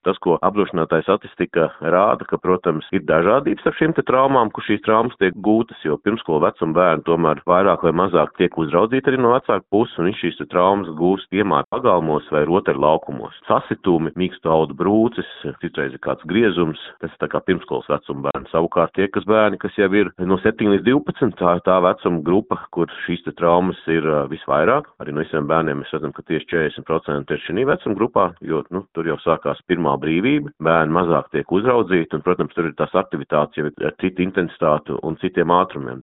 tas, ko apdrošinātāja statistika rāda, ka, protams, ir dažādības ar šīm te traumām, kur šīs traumas tiek gūtas, jo pirmskolu vecuma bērni tomēr vairāk vai mazāk tiek uzraudzīti arī no vecāku puses, un viņš šīs traumas gūst iemāju pagalmos vai rotaļlaukumos. Sasitumi, mīkstu audu brūces, citreiz ir kāds griezums, tas ir tā kā pirmskolas vecuma bērni. Savukārt tie, kas bērni, kas jau ir no 7 līdz 12, tā vecuma grupa, kur šīs te traumas ir visvairāk. Arī no visiem bērniem mēs redzam, ka tieši 40% ir šī vecuma grupā, jo, tur jau sākās pirmā brīvība, bērni mazāk tiek uzraudzīti, un, protams, tur ir tās aktivitātes jau ar citu intensitātu un citiem ātrumiem.